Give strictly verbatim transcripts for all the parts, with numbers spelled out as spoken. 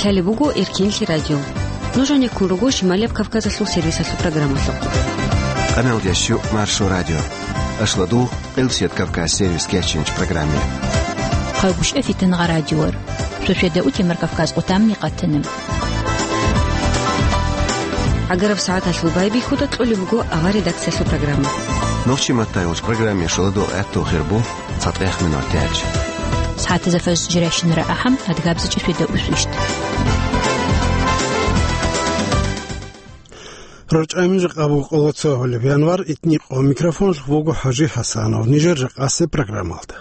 Гьале буго Эркенлъи радио. Нуж гӀенеккун руго Шималияб Кавказалъул сервисалъул программалъухъ. Къаналда щук Маршо радио. Ашладу Къилсият Кавказ сервис кечинч программе. Хъайгъуш эфитан гъа радиор. Шошеда утемар Кавказ къутамни къатанаб. ГӀагараб сагӀаталъул байбихьуда кьолеб буго авар редакциялъул программа. Нохчи маттайгъуш программе шоладул гӀатту хирбу. Цадгъех минутач. СагӀатазда фаз жирайщинара ахӀам, адгабзачӀа феда усвищт. РорчӀамин жакъа буго къоло цо гьолеб январ, итни къо микрофонлъ вуго ХӀажи ХӀасанов. Нижер жакъасе программалда.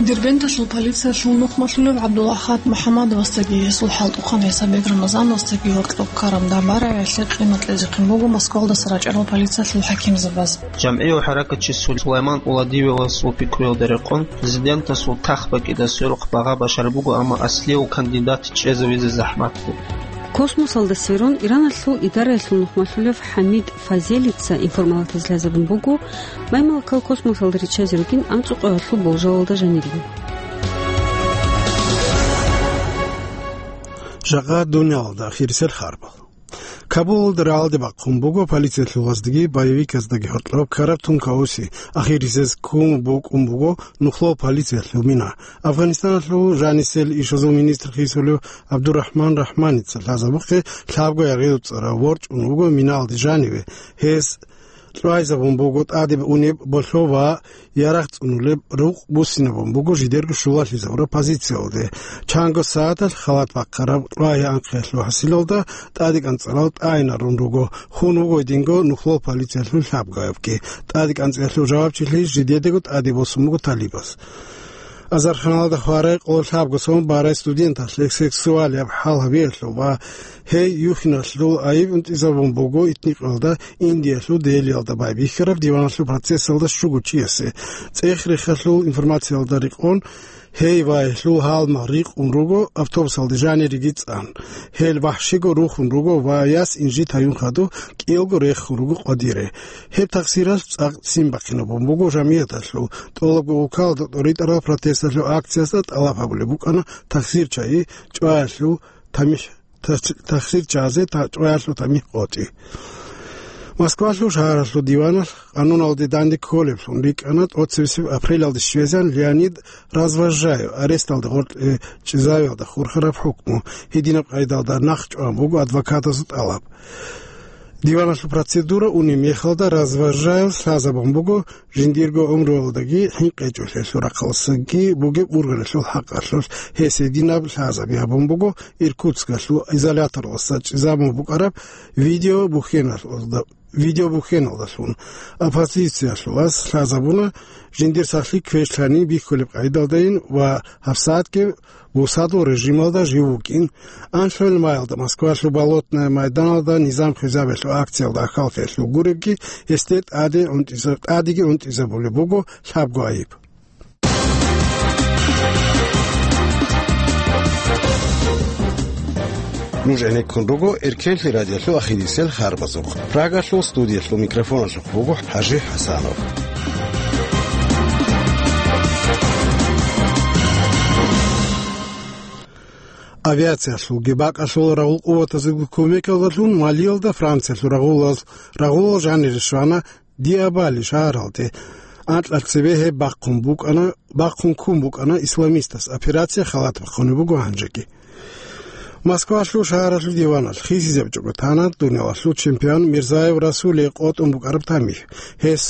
Дербенталъул полициялъул нухмалъулев ГӀабдулахад МухӀаммадовасдаги гьесул хӀалтӀухъан ГӀисабек Рамазановасдаги гьоркьоб ккараб дагӀба-раялъе къимат кьезе букӀине буго Москвалда сордоинчӀебал полициялъул хӀакимзабаз. ЖамгӀи ва хӀаракатчи Сулайман Уладиевасул пикруялда рекъон, президентасул тах бакӀида сверухъ багъа башар буго, амма аслияв кандидат чӀезавизе захӀмат буго. Космосалда сверун, Ираналъул идараялъул нухмалъулев ХӀамид Фазелица информалатазе лъазабун буго, маймалакал космосалда риччазе ругин анцӀукъоялъул болжалалда жанирин. Жакъа дуниялалда ахирисел харбал. Кабулалда рагӀалде бахъун буго полициялъулаздаги боевиказдаги гьоркьоб ккараб тункаоси, ахирисез ккун букӀун буго нухло полициялъул мина. Афганистаналъул жанисел ишазул министр хисулев ГӀабдурахман Рахманица лъазабухъе лъабго яргъи цӀарав ворчӀун вуго миналде жаниве. Гьес кьвайзабун буго тӀаде унеб болъо ва ярагъ цӀунулеб рукъ буссинабун буго жидерго щулалъизабураб позициялде. Чанго сагӀаталъ халат бахъараб кьвай анхъиялъул хӀасилалда тӀаде кӀанцӀарал тӀайинарун руго, хун вуго гьединго нухло полициялъул лъабгоябги. ТӀаде кӀанцӀиялъул жавабчилъи жидедаго тӀаде босун буго талибаз. Азарханалда хварай къоло лъабго сон барай студенталъе сексуалияб хӀал гьабиялъул ва гьей юхьиналъул айиб унтӀизабун буго итникъалда Индиялъул Делиялда байбихьараб диваналъул процессалда щуго чиясе. ЦӀех-рехалъул информациялда рекъон, гьей ва гьелъул гьалмагъ рикъун руго автобусалде жанириги цӀан. Гьел вахӀшиго рухун руго ва яс инжит гьаюн хадуб кӀиялго рехун руго къвадире. Гьеб тахсиралъ цӀакъ ццин бахъинабун буго жамигӀаталъул. ТӀолабго улкалда тӀоритӀарал протесталъул акциясда тӀалаб гьабулеб букӀана тахсир чагӀи чӀваялъул тамихӀ, тахс-, тахсир чагӀазе та-, чӀваялъул тамихӀ къотӀи. Москвалъул шагьаралъул диваналъ къануналде данде кколеблъун рикӀкӀана тӀоцебесеб апрелалде щвезегӀан Леонид Развозжаев аресталда гъоркье чӀезавиялда хурхараб хӀукму. Гьединаб къайдалда нахъ чӀван буго адвокатазул тӀалаб. Диваналъул процедура унеб мехалда Развозжаев лъазабун буго жиндирго гӀумруялдаги хӀинкъичӀолъиялъул рахъалдасаги бугеб ургъелалъул хӀакъалъулъ. Гьес гьединаб лъазаби гьабун буго Иркутскалъул изоляторалдаса чӀезабун букӀараб видеобухьеналда-, видеобухьеналдалъун. Оппозициялъулас лъазабуна жиндир сахлъи квешлъани бихьулеб къайдалдайин ва гьабсагӀатги бусадул режималда жив вукӀин. Анлъугьил маялда Москвалъул Болотное майданалда низам хвезабиялъул акциялда ахӀаллъиялъул гуребги гьесде тӀаде унтӀиза-, тӀадеги унтӀизабулеб буго лъабго айиб. Нуж гӀенеккун руго Эркенлъи радиолъул ахирисел харбазухъ. Прагалъул студиялъул микрофоналъухъ буго ХӀажи ХӀасанов. Авиациялъулги бакӀалъул рагъул къуватазулги кумекалдалъун Малиялда Франциялъул рагъулал, рагъулал жанире щвана Диабали шагьаралде. Анкьа цебе гьеб бахъун букӀана, бахъун ккун букӀана исламистас. Операция халат бахъунеб буго гьанжеги. Москвалъул шагьаралъул диваналъ хисизабичӀого тана дуниялалъул чемпион Мирзаев Расулие къотӀун букӀараб тамихӀ. Гьес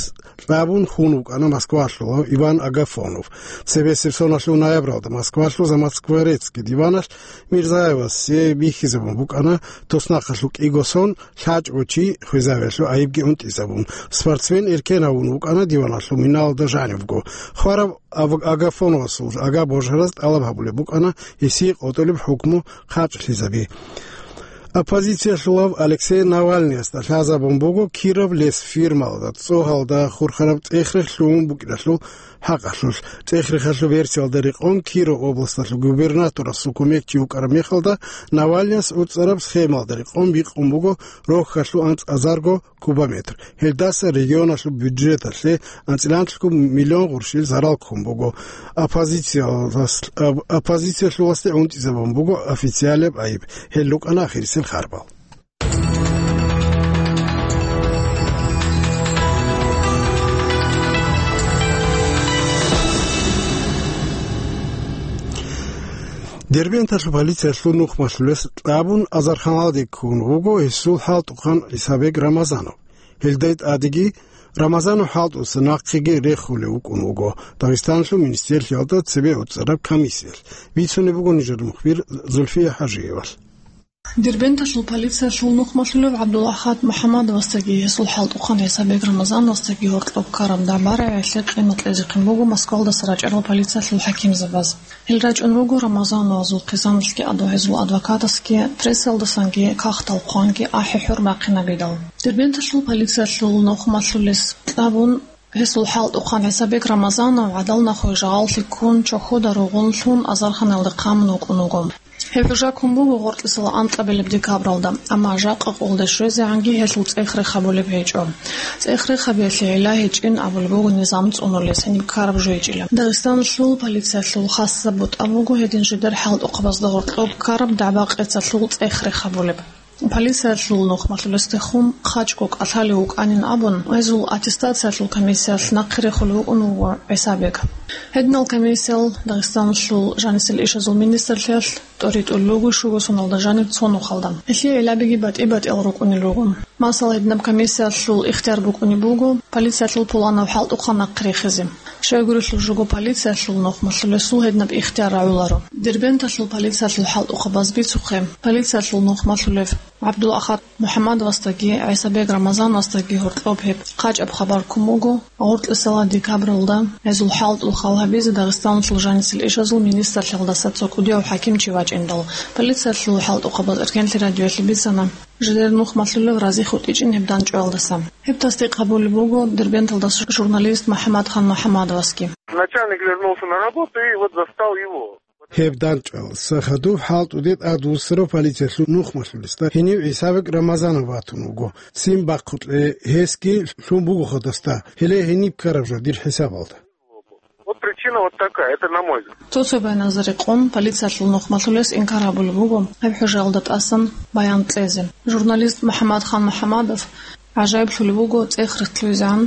кьабун хун вукӀана москвалъулав Иван Агафонов. Цебесеб соналъул ноябралда Москвалъул Замоскворецкий диваналъ Мирзаевасе бихьизабун букӀана туснахъалъул кӀиго сон лъачӀого чи хвезавиялъул айибги унтӀизабун. Спортсмен эркен гьавун вукӀана диваналъул миналда жанивго. Хвараб Ав-, Агафоновасул ага божараз тӀалаб гьабулеб букӀана гьесие къотӀулеб хӀукму хъачӀлъизаби. Оппозициялъулав Алексей Навальныясда лъазабун буго Киров лес фирмалда цӀогьалда хурхараб цӀех-рех лъугьун букӀиналъул хӀакъалъулъ. ЦӀех-рехалъул версиялда рекъон, Киров областалъул губернаторасул кумекчи вукӀараб мехалда, Навальныяс уцӀараб схемалда рекъон бикъун буго рохьалъул анцӀазарго кубометр. Гьелдаса регионалъул бюджеталъе анцӀиланлъго миллион гъурщил зарал ккун буго. Оппозициялас-, ап-, оппозициялъуласде гӀунтӀизабун буго официалияб гӀайиб. Гьел рукӀана ахирисел харбал. Дербенталъул полициялъул нухмалъулес кьабун азарханалде ккун вуго гьесул хӀалтӀухъан ГӀисабек Рамазанов. Гьелда тӀадеги Рамазанов хӀалтӀуса нахъеги рехулев вукӀун вуго Дагъистаналъул министрлъиялда цебе уцӀараб комиссиялъ. Бицунеб буго нижер мухбир Зульфия ХӀажиевал. Дербенталъул полициялъул нухмалъулев ГӀабдул-Ахад МухӀаммадовасдаги гьесул хӀалтӀухъан ГӀисабек Рамазановасдаги гьоркьоб ккараб дагӀба-рагӀиялъе къимат кьезе букӀун буго Москвалдаса рачӀарал полициялъул хӀакимзабаз. Гьел рачӀун руго Рамазановазул хъизаналъги адугьезул адвокатасги, прессалдасанги кагътал хъванги ахӀи-хӀур бахъинабидал. Дербенталъул полициялъул нухмалъулес кьабун, гьесул хӀалтӀухъан ГӀисабек Рамазанов гӀадал нахуе жагъаллъи ккун, чохьода ругъун лъун, азарханалде хъамун вукӀун вуго. Гьеб хӀужа ккун буго гъоркьисал анкьабилеб декабралда, амма жакъа къулде щвезегӀанги гьелъул цӀех-рех гьабулеб гьечӀо. ЦӀех-рех гьабиялъе гӀилла гьечӀин абулеб буго низам цӀунулес гьениб ккараб жо гьечӀила. Дагъистаналъул полициялъул хасаб бутӀа буго гьедин жидер хӀалтӀухъабазда гьоркьоб ккараб дагӀба-къецалъул цӀех-рех гьабулеб. Полициялъул нухмалъулесдехун хъачӀго кӀалъалев вукӀанин абун, гьезул аттестациялъул комиссиялъ нахъе рехулев вукӀун вуго ГӀисабек. Гьединал комиссиял Дагъистаналъул жанисел ишазул министрлъиялъ тӀоритӀулел руго щуго соналда жаниб цо нухалда. Гьелъие гӀиллабиги батӀи-батӀиял рукӀунел руго. Масала, гьединаб комиссиялъул ихтияр букӀунеб буго полициялъул пуланав хӀалтӀухъан нахъе рехизе. Щайгурелъул жого полициялъул нухмалъулесул гьединаб ихтияр рагӀуларо. Дербенталъул полициялъул хӀалтӀухъабаз бицухъе, полициялъул нухмалъулев ГӀабдул-Ахад МухӀаммадовасдаги ГӀисабек Рамазановасдаги гьоркьоб гьеб хъачӀаб хабар ккун буго гъоркьисала декабралда гьезул хӀалтӀухъал гьабизе Дагъистаналъул жанисел ишазул министрлъиялдаса цо кӀудияв хӀакимчи вачӀиндал. Полициялъул хӀалтӀухъабаз Эркенлъи радиоялъе бицана жидер нухмалъулев разихутӀичӀин гьеб дандчӀваялдаса. Гьеб тасдикъ гьабулеб буго Дербенталдаса журналист МухӀаммадхан МухӀаммадовасги. Начальник вернулся на работу и вот застал его. Гьеб дандчӀваялдаса хадуб хӀалтӀуде тӀадвуссарав полициялъул нухмалъулесда гьенив ГӀисабек Рамазанов ватун вуго. Ццин бахъулъе гьесги лъун буго хадасда, гьеле гьениб ккараб жо дир хӀисабалда. Вот причина вот такая, это на мой взгляд. Цо-цо байназда рекъон полициялъул нухмалъулес инкар гьабулеб буго гьеб хӀужаялда тӀасан баян кьезе. Журналист МухӀаммадхан МухӀаммадов гӀажаиблъулеб буго цӀех-рех лъугӀизегӀан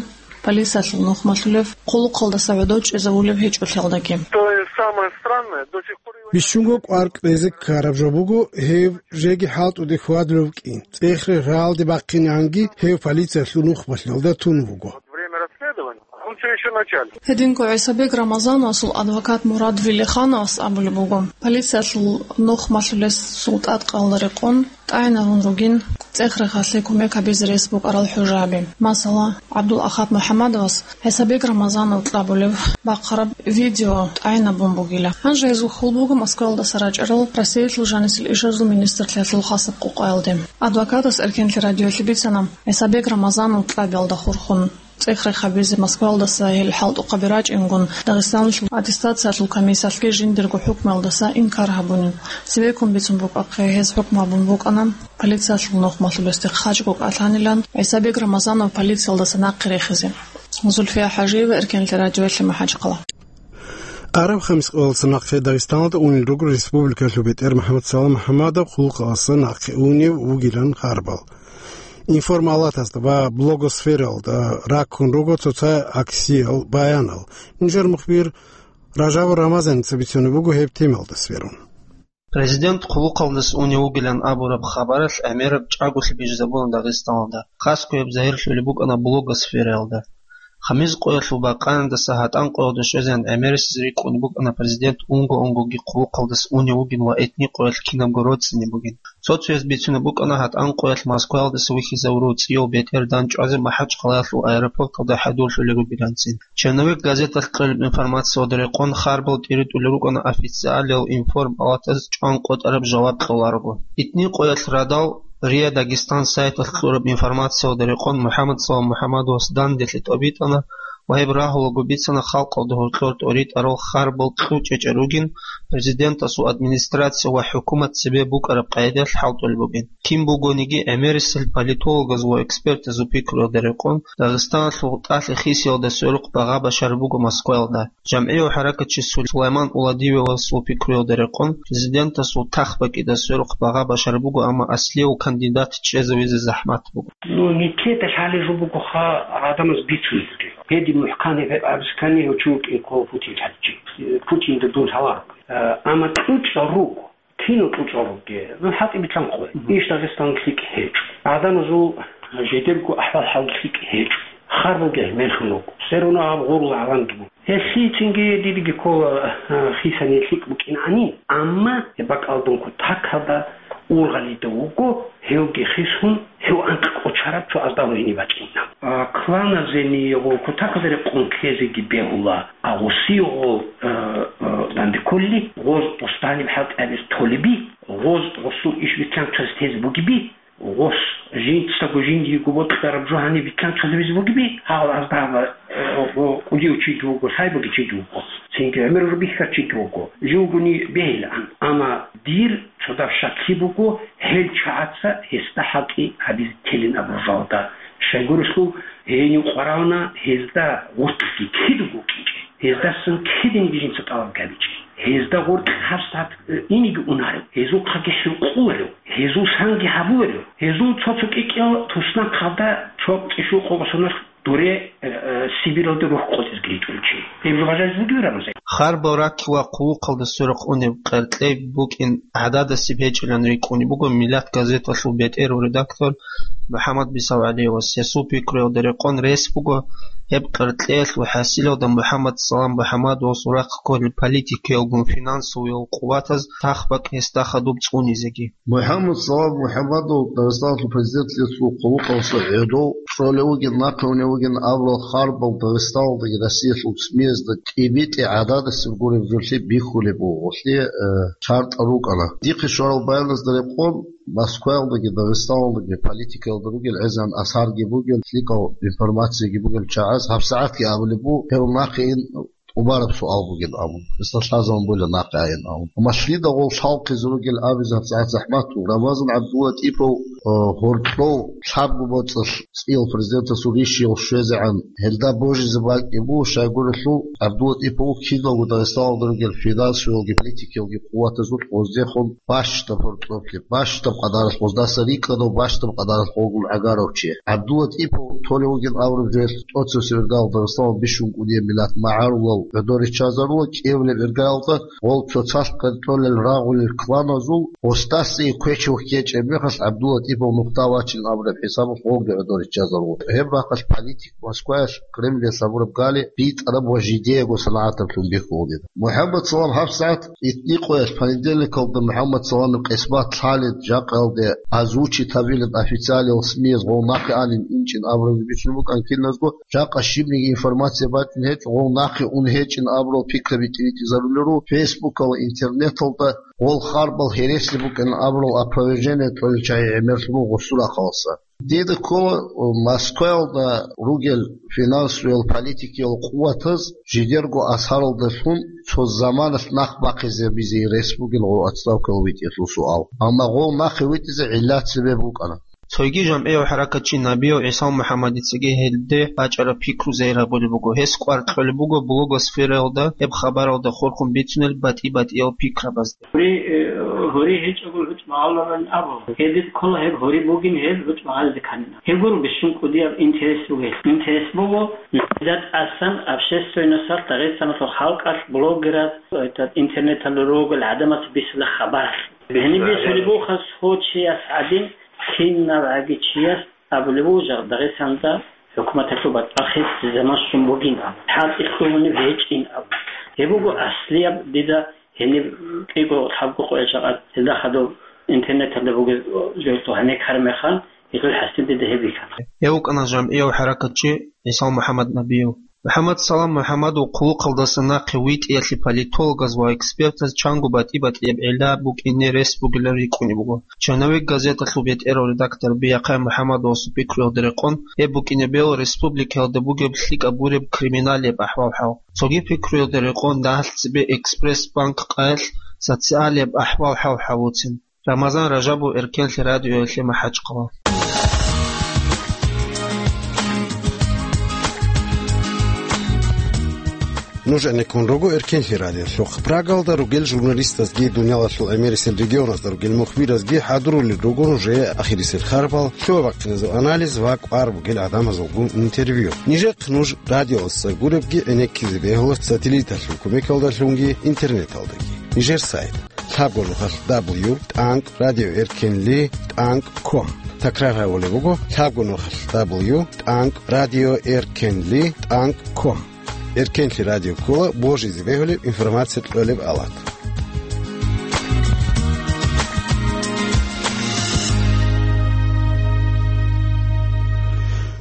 полициялъул нухмалъулев хъулухъалдаса гӀодов чӀезавулеб гьечӀолъиялдаги. То есть самое странное, до сих пор его не... Бищунго кӀвар кьезе ккараб жо буго гьев жеги хӀалтӀуде хьвадулев вукӀин. ЦӀех-рех рагӀалде бахъинегӀанги гьев полициялъул нухмалъиялда тун вуго. Время расследования, он всё ещё начальник. Гьединго ГӀисабек Рамазановасул адвокат Мурад Вилихановас абулеб буго, полициялъул нухмалъулесул тӀадкъаялда рекъон тӀагӀинабун ругин цӀех-рехалъе кумек гьабизе рес букӀарал хӀужаби. Масала, ГӀабдул-Ахад МухӀаммадовас ГӀисабек Рамазанов кьабулеб бахъараб видео тӀагӀинабун бугила. Гьанже гьезул хьул буго Москвалдаса рачӀарал Россиялъул жанисел ишазул министрлъиялъул хасаб къокъаялде. Адвокатас Эркенлъи радиоялъе бицана, ГӀисабек Рамазанов кьабиялда хурхун цӀех-рех гьабизе Москвалдаса гьел хӀалтӀухъаби рачӀингун, Дагъистаналъул аттестациялъул комиссиялъги жиндирго хӀукмуялдаса инкар гьабунин. Цевеккун бицун букӀахъе, гьез хӀукму гьабун букӀана полициялъул нухмалъулесде хъачӀго кӀалъанилан ГӀисабек Рамазанов полициялдаса нахъе рехизе. Зульфия ХӀажиева, Эркенлъи радиоялъе, МахӀачхъала. Араб хамис къоялдаса нахъе Дагъистаналда унел руго республикалъул бетӀер МухӀаммад Салам МухӀаммадов хъулухъалдаса нахъе унев вугилан харбал. Информалатазда ва блогосфералда раккун руго цоцай аксиял, баянал. Нижер мухбир Ражабов Рамазаница бицунеб буго гьеб темалда сверун. Президент хъулухъалдаса унев вугилан абураб хабаралъ гӀемераб чӀаголъи бижизабуна Дагъистаналда, хасго гьеб загьирлъулеб букӀана блогосфералда. Хамиз къоялъул бакъаниндаса гьатӀан къоялда щвезегӀан гӀемерисез рикӀкӀунеб букӀана президент унго-унгоги хъулухъалдаса унев вугин ва этни къоялъ кинабго роцӀцӀине бугин. Цо-цояз бицунеб букӀана гьатӀан къоялъ Москваялдаса вихьизавурав цӀияв бетӀер данчӀвазе МахӀачхъалаялъул аэропорталда хӀадурлъулел рубиланцин. Черновик газеталъ кьолеб информациялда рекъон харбал тӀиритӀулел рукӀана официалиял информ-палатаз чӀван къотӀараб жаваб кьоларого. Этни къоялъ радал РИА Дагестан сайталъ кьураб информациялда рекъон МухӀаммад Салам МухӀаммадовас данделъи тӀобитӀана ва гьеб рагьулаго бицана халкъалда гьоркьор тӀоритӀарал харбал кьучӀечӀел ругин, президентасул администрация ва хӀукумат цебе букӀараб къайдаялъ хӀалтӀулеб бугин. Кин бугониги, гӀемерисел политологаз ва экспертазул пикруялда рекъон, Дагъистаналъул тӀалъи хисиялда сверухъ багъа башараб буго Москваялда. ЖамгӀияв хӀаракатчи Сулайман Уладиевасул пикруялда рекъон, президентасул тах бакӀида сверухъ багъа башараб буго, амма аслияв кандидат чӀезавизе захӀмат буго. Ну, нилъеда лъалеб жо бугоха гӀадамаз бицунелги. Гьедин мухӀкан гьеб гьеб абискани гьев чи вукӀин ккола Путин лъалчи. Путинда дун лъаларо. Э, амма кьучӀал руго. Кино кьучӀал ругел, ну, хӀалтӀи битлъанхъе. Мгм. Иш Дагъистан лъикӀ гьечӀо. ГӀадамазул жидерго ахӀвал-хӀал лъикӀ гьечӀо. Харбалги гьелъун руго. Все равно гьаб гъурла гӀалам буго. Гьелъийцинги дидаги ккола, а, хисани лъикӀ букӀин гӀанин. Амма гьеб бакӀалдун кутакалда ургъалида вуго, гьевги хисун, гьев анкь кӀочараб цо аздагьлъун гьениб бачӀина. А, кланазени гъо кутакалда рекъон ккезеги бегьула. А гъосие гъо, э, э, данде кколли, гъоз гъос даниб хӀалтӀи гьабиз толеби, гъоз гъосул иш витчанцаз тезе бугеби, гъос жинцаго жиндиего бокьараб жо гьаниб витчанцаз гьабизе бугеби, гьал аздаба, э, гъо кӀудияв чиги вуго, лъай буги чиги вуго, цинги гӀемер рубихьа чиги вуго, живгони бегьилаан. Амма дир цодаб щаклъи буго, гьел чагӀаца гьесда хӀалтӀи гьабизе телин абуржалда. Щайгурелъул, гьенив къварална гьезда гъоркьги кидаго кӀинчӀе. Гьездасан кидинги жинца тӀалаб гьабичӀин. Гьезда гъоркь гьабсагӀат, э, инеги унарев, гьезухъаги хӀинкъуларев, гьезул санги гьабуларев, гьезул цо-цо кӀикӀел туснахъалда цо цӀишукъого соналъ дуре, э, э, Сибиралде рухӀ къотӀизги ричӀулев чи. Гьеб жо бажаризе бугеб, Рамазан? Харбал ракки ва хъулухъалда сверухъ унеб къеркьей букӀин гӀададасеб гьечӀилан рикӀкӀунеб буго Миллат газеталъул бетӀерав редактор МухӀаммад БисавгӀалиевас. Гьесул пикруялда рекъон рес буго, гьеб къеркьеялъул хӀасилалда МухӀаммад Салам МухӀаммадовасул рахъ кколел политикиялгун финансовиял къуватаз тахбакӀ гьесда хадуб цӀунизеги. МухӀаммад Салам МухӀаммадов Дагъистаналъул президентлъун хъулухъалдаса гӀодов цӀолев вугин, нахъе унев вугин абурал харбал Дагъистаналдаги Россиялъул СМИ-язда тӀибитӀи гӀададасеб гуреб жолъи бихьулеб буго, гъолъие, э, шартӀал рукӀана. Дихъе щварал баяназда рекъон, Москваялдаги Дагъистаналдаги политикаялда ругел гӀезегӀан асарги бугел, лъикӀал информацияги бугел чагӀаз гьабсагӀатги абулеб буго, гьев нахъе ин тӀубараб суал бугин абун, гьесда лъазабун бугила нахъе гӀайин абун. Амма лъида гъол лъалхъизе ругел абизе гьабсагӀат захӀмат буго. Рамазан ГӀабдуллатӀипов, э, гьоркьов лъабго боцӀалъ цӀиял президентасул ришиял щвезегӀан гьелда божизе бакӀи буго, щайгурелъул ГӀабдуллатӀипов кидаго Дагъистаналда ругел финансовиялги политикиялги къуватазул гъоздехун бащдаб гьоркьоблъи, бащдаб къадаралъ гъоздаса рикӀкӀадав, бащдаб къадаралъ гъолгун гӀагарав чи. ГӀабдуллатӀипов толев вугин абураб жоялъ тӀоцебесеб иргаялда Дагъистаналда бищун кӀудияб миллат магӀарулал гӀодор риччазарула, кӀиабилеб иргаялда гъол цоцалъ къеркьолел рагъулел кланазул гъосдаса квечив ккечӀеб мехалъ ГӀабдуллатӀипов нухда вачилан абураб хӀисабалъ гъолги гӀодор риччазарула. Гьеб рахъалъ политик Москваялъ Кремльалъ гьабураб гали битӀараб ва жидеего санагӀатаблъун бихьулеб. МухӀаммад Салам гьабсагӀат итни къоялъ понедельникалда МухӀаммад Саламил къисмат лъалин жакъаялде озвучить гьабилин официалиял СМИ-яз гъов нахъе анин инчӀин абуразе бицун букӀан киназго, жакъа щибниги информация бачӀун гьечӀо, гъов нахъе ун гьечӀин абурал пикраби тӀибитӀизарулел руго, Фейсбукалда, интернеталда гъол харбал гьереси букӀин абурал опровержение кьолел чагӀи гӀемерлъун гъосул рахъалдаса. Дида ккола, э, Москваялда ругел финансовиял политикиял къуватаз жидерго асаралдалъун цо заманалъ нах бахъизабизе рес бугин гъов отставкалъ витӀиялъул суал. Амма гъов нахъе витӀизе гӀиллат цебе букӀана. Цойги жамгӀияв хӀаракатчи Набияв ГӀисал МухӀаммадицаги гьелде бачӀараб пикру зегӀ гьабулеб буго. Гьес кӀвар кьолеб буго блогосфераялда гьеб хабаралда хурхун бицунел батӀи-батӀиял пикрабазда. Гьори, э, гьори гьечӀого гьучӀ магӀаларан абу. Гьедин ккола гьеб гьори бугин гьел гьучӀ магӀализе канина. Гьеб гуро бищун кӀудияб интерес бугел. Интерес буго, нилъеда тӀасан общественносталъ, Дагъистаналъул халкъалъ, блогераз, этот, интернеталда ругел гӀадамаца бисула хабаралъ. Гьениб бисулеб буго хас гьо чияс гӀадин, кинабгӀаги чияс абулеб буго жагь Дагъистанда ХӀукуматалъул батӀалъи заман щун бугин абун, хӀалтӀи лъугьунеб гьечӀин абун. Гьеб буго аслияб дида гьениб кӀиго лъабго къоялъ жакъа гьелда хадуб интернеталда бугеб жо гьанеккараб мехалъ, гьелъул хӀасил дида гьеб бихьана. Гьев вукӀана жамгӀияв хӀаракатчи ГӀисал МухӀаммад Набиев. МухӀаммад Салам МухӀаммадов хъулухъалдаса нахъе витӀиялъе политологаз ва экспертаз чанго батӀи-батӀияб гӀилла букӀине рес бугилан рикӀкӀунеб буго. «Черновик» газеталъул бетӀерав редактор Биахъай МухӀаммадовасул пикруялда рекъон, гьеб букӀине бегьула республикаялда бугеб лъикӀаб гуреб криминалияб ахӀвал-хӀал. Цоги пикруялда рекъон дагьалъ цебе Экспресс-банк къаялъ социалияб ахӀвал-хӀал гьавуцин. Рамазан Ражабов, Эркенлъи радиоялъе МахӀачхъала. Нуж гӀенеккун руго Эркенлъи радиолъухъ. Прагалда ругел журналистазги, дуниялалъул гӀемерисел регионазда ругел мухбиразги хӀадурулел руго нужее ахирисел харбал, лъугӀа-бахъиназул анализ ва кӀвар бугел гӀадамазулгун интервью. Нижехъ нуж радиоялдаса гуребги гӀенеккизе бегьула сателлиталъул кумекалдалъунги интернеталдаги. Нижер сайт: лъабго нухалъ дабл ю тӀанкӀ радио эркенли тӀанкӀ ком. Такрар гьабулеб буго: лъабго нухалъ дабл ю тӀанкӀ радио эркенли тӀанкӀ ком. Эркенлъи радио ккола божизе бегьулеб информация кьолеб алат.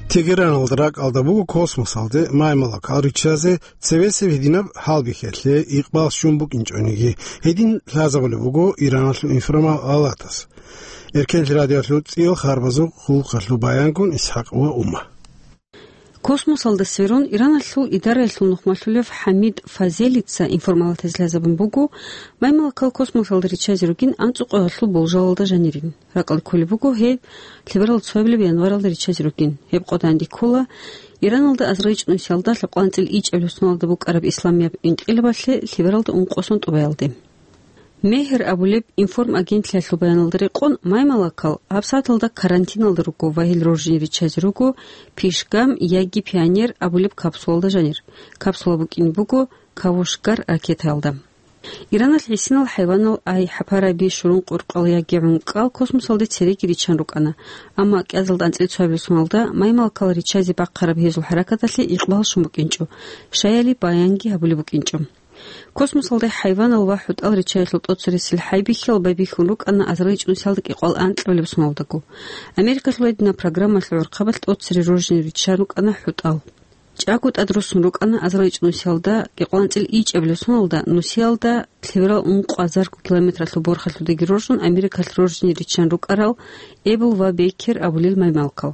Тегераналда ракӀалда буго космосалде маймалакал риччазе цевесеб гьединаб гьалбихьалъе икъбал щун букӀинчӀониги, гьедин лъазабулеб буго Ираналъул информал алатас. Эркенлъи радиоялъул цӀиял харбазул хъулухъалъул баянгун ИсхӀакъ ва Ума. Космосалда сверун, Ираналъул идараялъул нухмалъулев ХӀамид Фазелица информалатаз лъазабун буго, маймалакал космосалда риччазе ругин анцӀукъоялъул болжалалда жанирин. Ракъалде кколеб буго гьеб лъеберал цоябилеб январалда риччазе ругин. Гьеб къо данде ккола Ираналда азарилчӀун нусиялда лъабкъоялда анцӀила ичӀабилеб соналда букӀараб исламияб инкъилабалъе лъебералда ункъо сон тӀубаялде. Мегьр абулеб информагентлъиялъул баяналда рекъон, маймалакал гьабсагӀаталда карантиналда руго ва гьел роржине риччазе руго Пишгам яги Пионер абулеб капсулалда жанир. Капсула букӀине буго Кавушгар ракетаялда. Ираналъ гӀисинал хӀайванал ай, хӀапараби, шурун къуркъал яги гӀункӀкӀал космосалде цереги риччан рукӀана, амма кӀиазалда анцӀила цоябилеб соналда маймалакал риччазе бахъараб гьезул хӀаракаталъе икъбал щун букӀинчӀо, щаяли баянги гьабулеб букӀинчӀо. Космосалде хӀайванал ва хӀутӀал риччаялъул тӀоцересел хӀайбихьал байбихьун рукӀана азарилчӀун нусиялда кӀикъоялда анкьабилеб соналдаго. Америкалъул гьединаб программалъул гӀурхъабалъ тӀоцере роржине риччан рукӀана хӀутӀал. ЧӀаго тӀад руссун рукӀана азарилчӀун нусиялда кӀикъоялда анцӀила ичӀабилеб соналда нусиялда лъеберал ункъо азарго километралъул борхалъулдаги роржун Америкалъ роржине риччан рукӀарал Эбл ва Бейкер абулел маймалкал.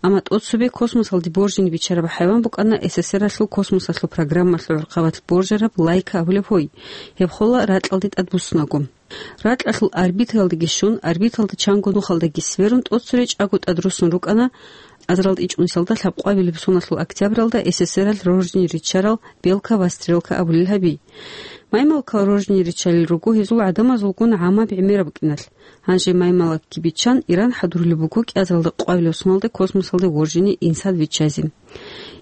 Амма тӀоцебе космосалде боржине биччараб хӀайван букӀана СССР-алъул космосалъул программалъул гӀурхъабалъ боржараб Лайка абулеб гьой. Гьеб хола ракьалде тӀадбуссунаго. Ракьалъул орбитаялдеги щун, орбиталда чанго нухалдаги сверун, тӀоцере чӀаго тӀад руссун рукӀана азарилчӀун нусиялда лъабкъоялда соналъул октябралда СССР-алъ роржине риччарал Белка ва Стрелка абулел гьаби. Маймалкал роржине риччалел руго гьезул гӀадамазулгун гӀаммаб гӀемераб букӀиналъ. Гьанже маймалакги биччан, Иран хӀадурулеб буго кӀиазалда къоялда соналда космосалде воржине инсан виччазе.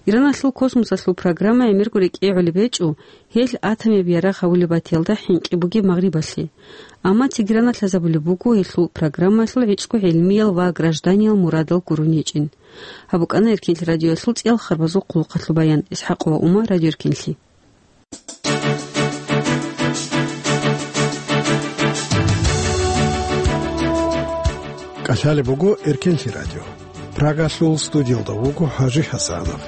Ираналъул космосалъул программа гӀемерго рекӀее гӀолеб гьечӀо, гьел атомияб ярагъ гьавулеб батиялда хӀинкъи бугеб Магърибалъе. Амма Тегераналъ лъазабулеб буго гьелъул программаялъул гӀицӀго гӀилмиял ва гражданиял мурадал гурони гьечӀин. Гьаб букӀана Эркенлъи радиоялъул цӀиял харбазул хъулухъалъул баян. ИсхӀакъ ва Ума, Радио Эркенлъи. КӀалъалеб буго Эркенлъи радио. Прагалъул студиялда вуго ХӀажи ХӀасанов.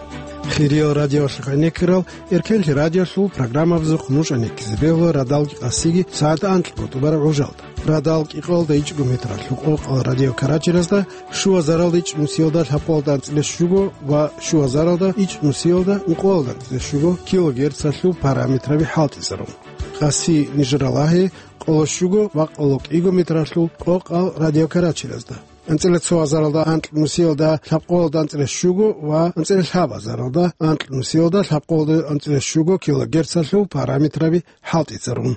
Хириял радиоялъухъ гӀенеккарал Эркенлъи радиоялъул программабазухъ нуж гӀенеккизе бегьула радал къасиги сагӀат анкьго тӀубараб гӀужалда. Радал кӀикъоялда ичӀго метралъул къокъал радиокарачиразда, щуазаралда ичӀнусиялда лъабкъоялда анцӀила щуго ва щуазаралда ичӀнусиялда ункъоялда анцӀила щуго килогерцалъул параметраби хӀалтӀизарун. Къаси нижер ралагье къоло щуго ва къоло кӀиго метралъул къокъал радиокарачиразда, анцӀила цоазаралда анкьнусиялда лъабкъоялда анцӀила щуго ва анцӀила лъабазаралда анкьнусиялда лъабкъоялда анцӀила щуго килогерцалъул параметраби хӀалтӀизарун.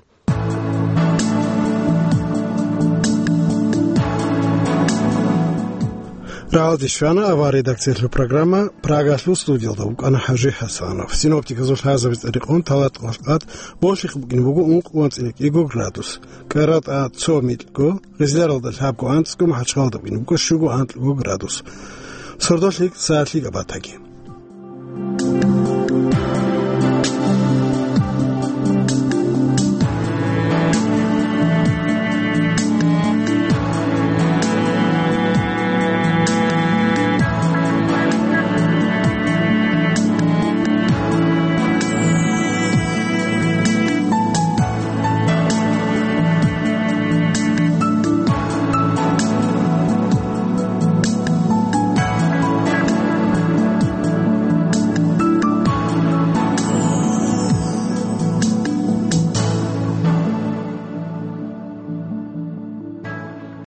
Рагьалде щвана авария редакциялъул программа, Прагалъул студиялда вукӀана ХӀажи ХӀасанов. Синоптиказул лъазабица рекъон талатӀ валкъат болъихъ букӀин буго ункъо анцӀила кӀиго градус. КӀаратӀа цо микьго, Гъизляралда лъабго анцӀго, МахӀачхъалда букӀин буго щуго анкьго градус. Сордолъи сагӀатлъи габатаги.